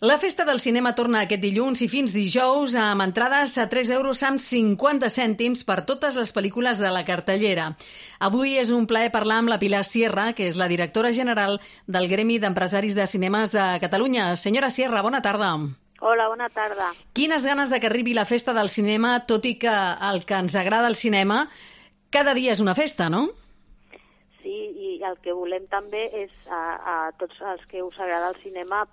La Festa del Cinema torna aquest dilluns i fins dijous amb entrades a 3 euros amb 50 cèntims per totes les pel·lícules de la cartellera. Avui és un plaer parlar amb la Pilar Sierra, que és la directora general del Gremi d'Empresaris de Cinemes de Catalunya. Senyora Sierra, bona tarda. Hola, bona tarda. Quines ganes de que arribi la Festa del Cinema, tot i que el que ens agrada el cinema cada dia és una festa, no? Sí, i el que volem també és a tots els que us agrada el cinema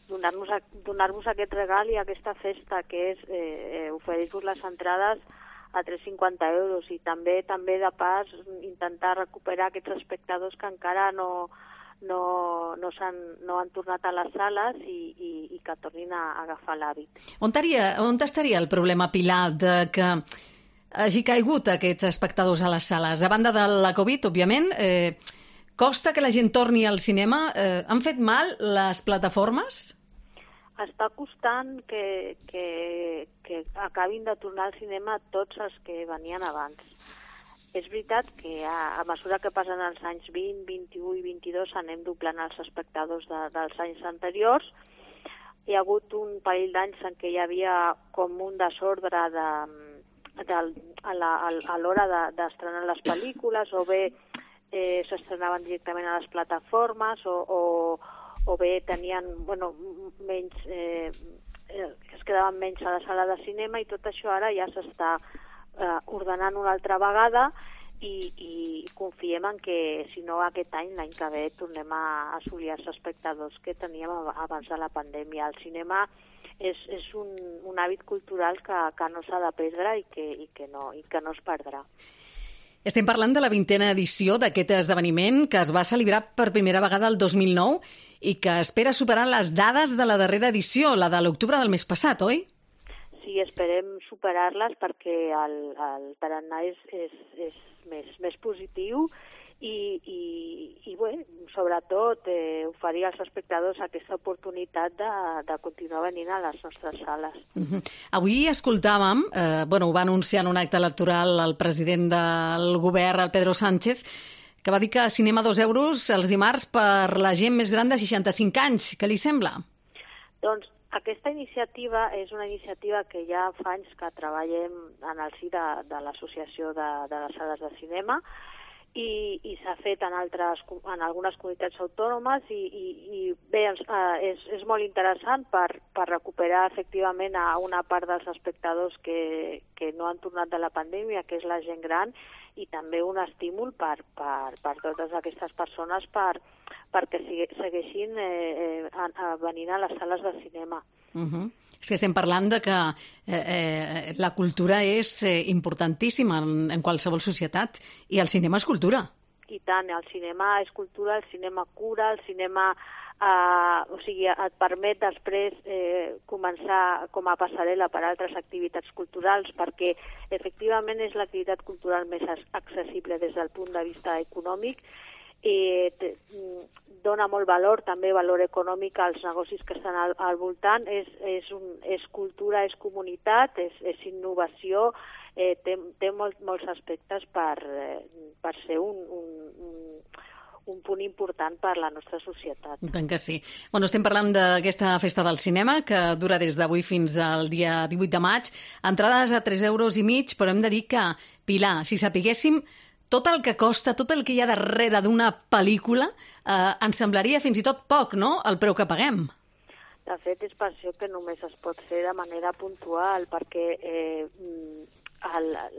donar-vos aquest regal i aquesta festa, que és oferir-vos les entrades a 3,50 euros i també de pas intentar recuperar aquests espectadors que encara no han tornat a les sales i que tornin a agafar l'hàbit. On estaria el problema, Pilar, de que hagi caigut aquests espectadors a les sales? A banda de la Covid, òbviament, costa que la gent torni al cinema? Han fet mal les plataformes? Està costant que acabin de tornar al cinema tots els que venien abans. És veritat que a mesura que passen els anys 20, 21 i 22 anem doblant els espectadors dels anys anteriors. Hi ha hagut un parell d'anys en què hi havia com un desordre a l'hora d'estrenar les pel·lícules, o bé s'estrenaven directament a les plataformes, o bé tenien menys, es quedaven menys a la sala de cinema, i tot això ara ja s'està ordenant una altra vegada i confiem en que, si no aquest any, l'any que ve, tornem a assolir els espectadors que teníem abans de la pandèmia. El cinema és un hàbit cultural que no s'ha de perdre i que no es perdrà. Estem parlant de la 20a edició d'aquest esdeveniment, que es va celebrar per primera vegada el 2009 i que espera superar les dades de la darrera edició, la de l'octubre del mes passat, oi? Sí, esperem superar-les perquè el tarannà és més positiu i bé, sobretot oferir als espectadors aquesta oportunitat de continuar venint a les nostres sales. Avui escoltàvem, ho va anunciar en un acte electoral el president del govern, el Pedro Sánchez, que va dir que cinema 2 euros els dimarts per la gent més gran de 65 anys. Què li sembla? Doncs aquesta iniciativa és una iniciativa que ja fa anys que treballem en el si de l'Associació de les Sales de Cinema, i s'ha fet en algunes comunitats autònomes i bé, és molt interessant per recuperar efectivament a una part dels espectadors que no han tornat de la pandèmia, que és la gent gran, i també un estímul per totes aquestes persones perquè segueixin venint a les sales de cinema. És que estem parlant de que la cultura és importantíssima en qualsevol societat, i el cinema és cultura. I tant, el cinema és cultura, el cinema cura, el cinema et permet després començar com a passarel·la per altres activitats culturals, perquè efectivament és l'activitat cultural més accessible des del punt de vista econòmic, dona molt valor, també valor econòmic als negocis que estan al voltant, és cultura, és comunitat, és innovació, té molts aspectes per ser un punt important per la nostra societat. Tant que sí. Estem parlant d'aquesta festa del cinema, que dura des d'avui fins al dia 18 de maig. Entrades a 3,5 euros, però hem de dir que, Pilar, si sapiguéssim tot el que costa, tot el que hi ha darrere d'una pel·lícula, ens semblaria fins i tot poc, no?, el preu que paguem. De fet, és per això que només es pot fer de manera puntual, perquè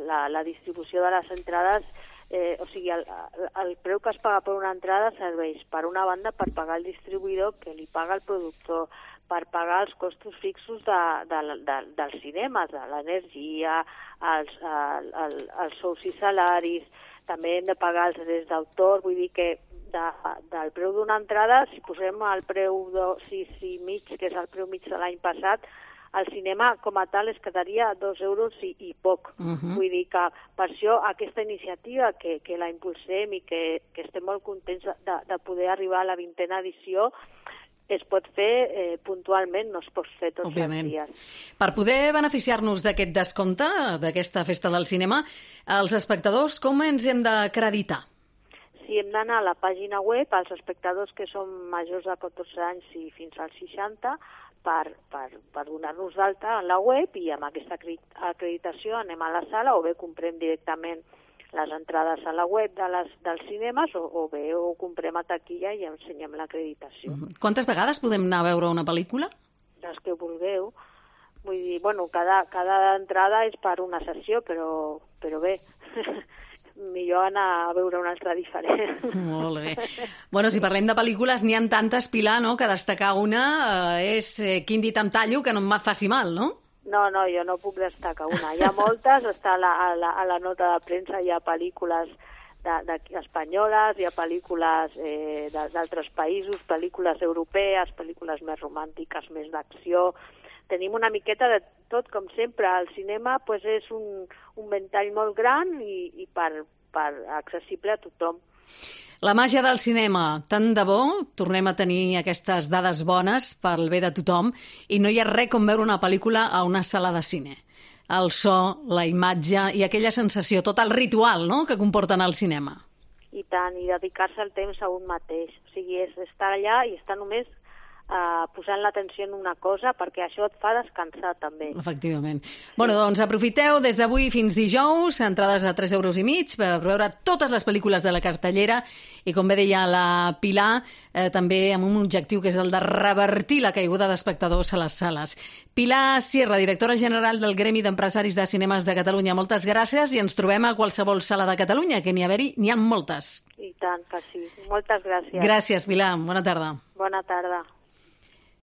la distribució de les entrades, el preu que es paga per una entrada serveix, per una banda, per pagar el distribuïdor, que li paga el productor, per pagar els costos fixos dels cinemes, de l'energia, els sous i salaris. També hem de pagar els drets d'autor, vull dir que del preu d'una entrada, si posem el preu de 6,5, que és el preu mig de l'any passat, el cinema com a tal es quedaria a 2 euros i poc. Vull dir que per això aquesta iniciativa que la impulsem i que estem molt contents de poder arribar a la 20a edició, es pot fer puntualment, no es pot fer tots els dies. Per poder beneficiar-nos d'aquest descompte, d'aquesta festa del cinema, els espectadors com ens hem d'acreditar? Sí, hem d'anar a la pàgina web, els espectadors que són majors de 14 anys i fins als 60, per donar-nos d'alta en la web, i amb aquesta acreditació anem a la sala o bé comprem directament les entrades a la web dels cinemes o bé ho comprem a taquilla i ensenyem l'acreditació. Quantes vegades podem anar a veure una pel·lícula? Les que vulgueu. Vull dir, bueno, cada entrada és per una sessió, però bé, millor anar a veure una altra diferent. Molt bé. Bueno, si parlem de pel·lícules, n'hi ha tantes, Pilar, no?, que destacar una és Quin dit em tallo que no em faci mal, no? No, jo no puc destacar una. Hi ha moltes, està a la nota de premsa, hi ha pel·lícules espanyoles, hi ha pel·lícules d'altres països, pel·lícules europees, pel·lícules més romàntiques, més d'acció. Tenim una miqueta de tot, com sempre. El cinema és un ventall molt gran i accessible a tothom. La màgia del cinema, tant de bo tornem a tenir aquestes dades bones pel bé de tothom i no hi ha res com veure una pel·lícula a una sala de cine. El so, la imatge i aquella sensació, tot el ritual, no?, que comporten el cinema. I tant, i dedicar-se el temps a un mateix. O sigui, és estar allà i estar només posant l'atenció en una cosa, perquè això et fa descansar també. Efectivament. Bueno, doncs aprofiteu des d'avui fins dijous, entrades a 3,5 € per veure totes les pel·lícules de la cartellera i, com bé deia la Pilar, també amb un objectiu que és el de revertir la caiguda d'espectadors a les sales. Pilar Sierra, directora general del Gremi d'Empresaris de Cinemes de Catalunya, moltes gràcies i ens trobem a qualsevol sala de Catalunya, que n'hi ha moltes. I tant que sí. Moltes gràcies. Gràcies, Pilar. Bona tarda. Bona tarda.